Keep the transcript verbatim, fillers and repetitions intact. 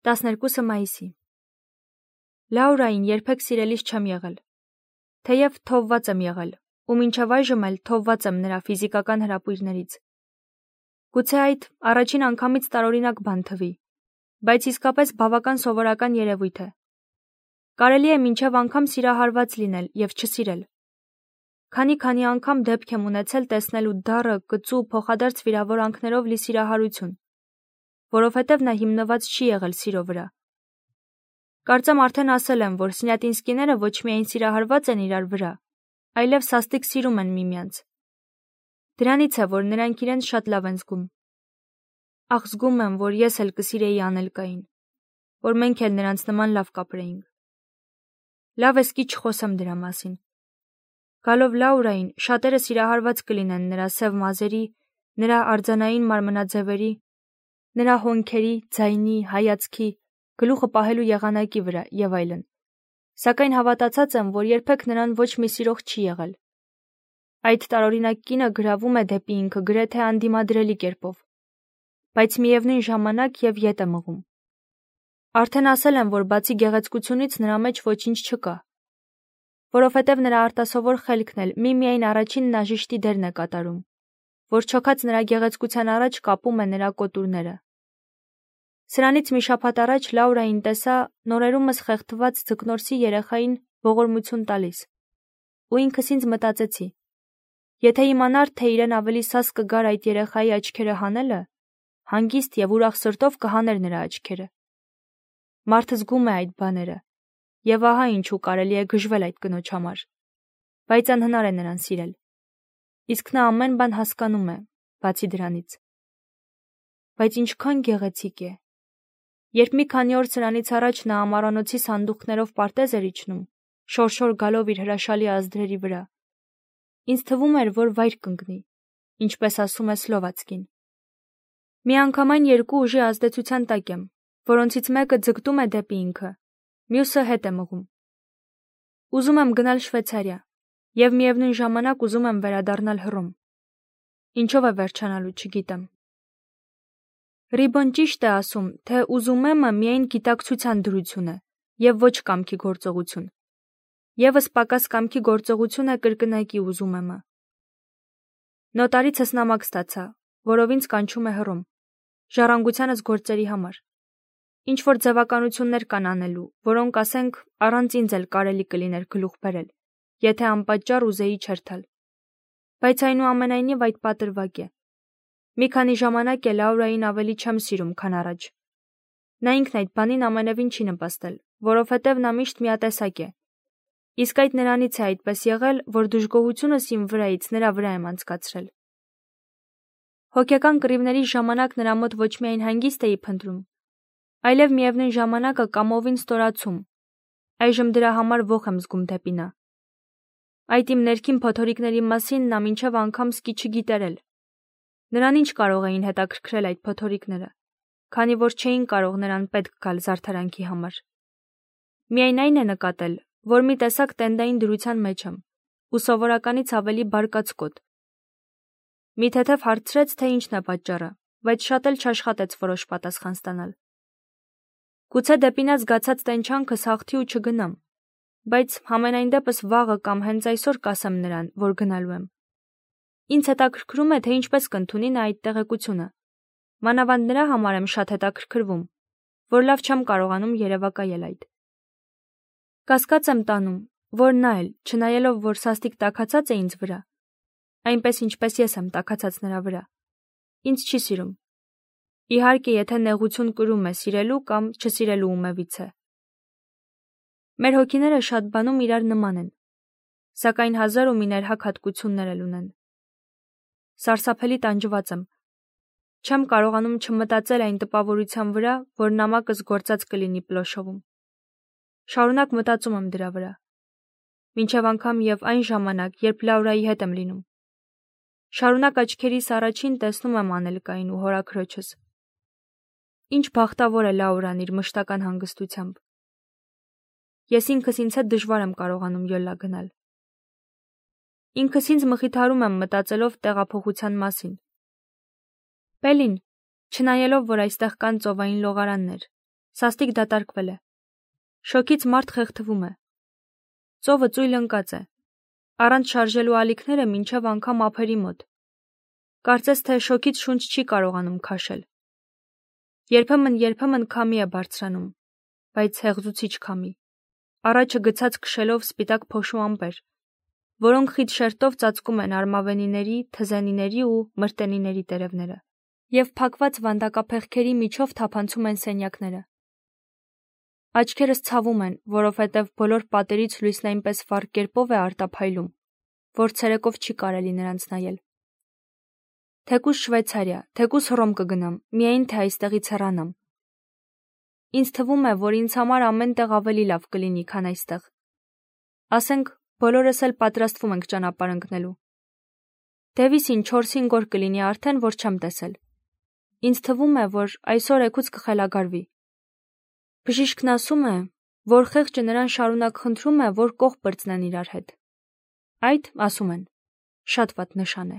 տասներկուսը մայիսի Լաուրային երբեք սիրելիս չեմ եղել, թեև թողված եմ եղել, ու մինչև այժմ էլ թողված եմ նրա ֆիզիկական հրապույրներից։ Գուցե այդ առաջին անգամից տարօրինակ բան թվի, բայց իսկապես բավական սովորական երևույթ է։ Կարելի է մինչև անգամ սիրահարված լինել և չսիրել։ Քանի-քանի անգամ դեպք եմ ունեցել տեսնելու դառը, կծու, փոխադարձ վիրավորանքներով լի սիրահարություն, որովհետև նա հիմնված չի եղել սիրո վրա։ Կարծեմ արդեն ասել եմ, որ սնյատինսկիները ոչ միայն սիրահարված են իրար վրա, այլև սաստիկ սիրում են միմյանց։ Դրանից է, որ նրանք իրենց շատ լավ են զգում։ Ախ, զգում եմ, որ ես էլ կսիրեի Անելկային, որ մենք էլ նրանց նման լավ կապրեինք։ Լավ է սկի չխոսեմ դրա մասին։ Գալով Լաուրային, շատերը սիրահարված կլինեն նրա սև մազերի, նրա արձանային մարմնաձևերի, նրա հոնքերի, ձայնի, հայացքի, գլուխը պահելու եղանակի վրա եւ այլն։ Սակայն հավատացած եմ, որ երբեք նրան ոչ մի սիրող չի եղել։ Այդ տարօրինակ կինը գրավում է դեպի ինքը գրեթե անդիմադրելի կերպով, բայց միևնույն ժամանակ եւ ետ է մղում։ Արդեն ասել եմ, որ բացի գեղեցկությունից նրա մեջ ոչինչ չկա, որովհետև նրա արտասովոր խելքն էլ միմիայն առաջին նաժիշտի դերն է կատարում, որ չոքած նրա գեղեցկության առաջ կապում է նրա կոտուրները։ Սրանից մի շաբաթ առաջ Լաուրային տեսա նորերումս խեղդված ձկնորսի երեխային ողորմություն տալիս, ու ինքս ինձ մտածեցի. եթե իմանար, թե իրեն ավելի սաս կգար այդ երեխայի աչքերը հանելը, հանգիստ եւ ուրախ սրտով կհաներ նրա աչքերը։ Մարդը զգում է այդ բաները, եւ ահա ինչու կարելի է գժվել այդ կնոջ համար, բայց անհնար է նրան սիրել։ Իսկ նա ամեն բան հասկանում է, բացի դրանից։ Բայց ինչքան գեղեցիկ է։ Երբ մի քանի օր սրանից առաջ նա ամառանոցի սանդուղքներով պարտեզ էր իջնում, շորշոր գալով իր հրաշալի ազդրերի վրա, ինձ թվում էր, որ վայր կընկնի, ինչպես ասում է Սլովացկին։ Միանգամայն երկու ուժի ազդեցության տակ եմ, որոնցից մեկը ձգտում է դեպի ինքը, մյուսը հետ է մղում։ Ուզում եմ գնալ Շվեյցարիա եւ միևնույն ժամանակ ուզում եմ վերադառնալ Հռոմ։ Ինչով է վերջանալու, չգիտեմ։ Ռիբոն ճիշտ է ասում, թե ուզում եմը միայն գիտակցության դրություն է եւ ոչ կամքի գործողություն։ Եվս պակաս կամքի գործողություն է կրկնակի ուզում եմը։ Նոտարիցս նամակ ստացա, որով ինձ կանչում է Հռոմ, ժառանգությանս գործերի համար։ Ինչ որ ձևականություններ կան անելու, որոնք, ասենք, առանց ինձ էլ կարելի կլիներ գլուխ բերել, եթե անպատճառ ուզեի չերթալ։ Բայց այնուամենայնիվ այդ պատրվակ է։ Մի քանի ժամանակ է Լաուրային ավելի չեմ սիրում, քան առաջ։ Նա ինքն այդ բանին ամենևին չի նպաստել, որովհետև նա միշտ միատեսակ է։ Իսկ այդ նրանից է այդպես եղել, որ դժգոհությունս իմ վրայից նրա վրա եմ անցկացրել։ Հոգեկան կռիվների ժամանակ նրա մոտ ոչ միայն հանգիստ էի փնտրում, այլև միևնույն ժամանակը կամովին ստորացում։ Այժմ դրա համար ոխ եմ զգում դեպի նա։ Այդ իմ ներքին փոթորիկների մասին նա մինչև անգամ սկի չգիտերել։ Նրան ինչ կարող էին հետաքրքրել այդ փոթորիկները, քանի որ չէին կարող նրան պետք գալ զարդարանքի համար։ Միայն այն է նկատել, որ մի տեսակ տենդային դրության մեջ եմ, ու սովորականից ավելի բարկացկոտ։ Մի թեթև հարցրեց, թե ինչն է պատճառը, բայց շատ էլ չաշխատեց որոշ պատասխան ստանալ։ Գուցե դեպի նա զգացած տենչանքս հաղթի ու չգնամ, բայց համենայն դեպս վաղը կամ հենց այսօր կասեմ նրան, որ գնալու եմ։ Ինձ հետաքրքրում է, թե ինչպես կընդունի նա այդ տեղեկությունը։ Մանավանդ նրա համար եմ շատ հետաքրքրվում, որ լավ չեմ կարողանում երևակայել այդ։ Կասկած եմ տանում, որ նա էլ, չնայելով, որ սաստիկ տաքացած է ինձ վրա, այնպես ինչպես ես եմ տաքացած նրա վրա, ինձ չի սիրում։ Իհարկե, եթե նեղություն կրում է սիրելու կամ չսիրելու ումևից է։ Մեր հոգիները շատ բանում իրար նման են, սակայն հազար ու մի ներհակ հատկություններ էլ ունեն։ Սարսափելի տանջված եմ։ Չեմ կարողանում չմտածել այն տպավորության վրա, որ նամակս գործած կլինի Պլոշովում։ Շարունակ մտածում եմ դրա վրա։ Մինչև անգամ եւ այն ժամանակ, երբ Լաուրայի հետ եմ լինում։ Շարունակ աչքերիս առաջին տեսնում եմ Անելկային ու հորաքրոջս։ Ինչ բախտավոր է Լաուրան իր մշտական հանգստությամբ։ Ես ինքս ինձ հետ դժվար եմ կարողանում յոլա գնալ։ Ինքս ինձ մխիթարում եմ մտածելով տեղափոխության մասին։ Պելին, չնայելով, որ այստեղ կան ծովային լողարաններ, Սաստիկ դատարկվել է։ Շոկից մարդ խեղդվում է։ Ծովը ծույլ ընկած է։ Առանց շարժելու ալիքները մինչև անգամ ափերի մոտ։ Կարծես թե շոկից շունչ չի կարողանում քաշել։ Երբեմն երբեմն քամի է բարձրանում, բայց հեղձուցիչ քամի։ Առաջը գցած քշելով սպիտակ փոշու ամպեր, որոնք խիտ շերտով ծածկում են արմավենիների, թզենիների ու մրտենիների տերևները, և փակված վանդակափեղկերի միջով թափանցում են սենյակները։ Աչքերս ցավում են, որովհետև բոլոր պատերից լույսն այնպես վառ կերպով է արտափայլում, որ ցերեկով չի կարելի նրանց նայել։ Թեկուզ Շվեյցարիա, թեկուզ Հռոմ կգնամ, միայն թե այստեղից հեռանամ։ Ինձ թվում է, որ ինձ համար ամեն տեղ ավելի լավ կլինի, քան այստեղ։ Ասենք, բոլորս էլ պատրաստվում ենք ճանապարհ ընկնելու։ Դևիսին չորս-հինգ օր կլինի արդեն, որ չեմ տեսել։ Ինձ թվում է, որ այսօր էգուց կխելագարվի։ Բժիշկն ասում է, որ խեղճը նրան շարունակ խնդրում է, որ կողք բրծնեն իրար հետ։ Այդ, ասում են, շատ վատ նշան է։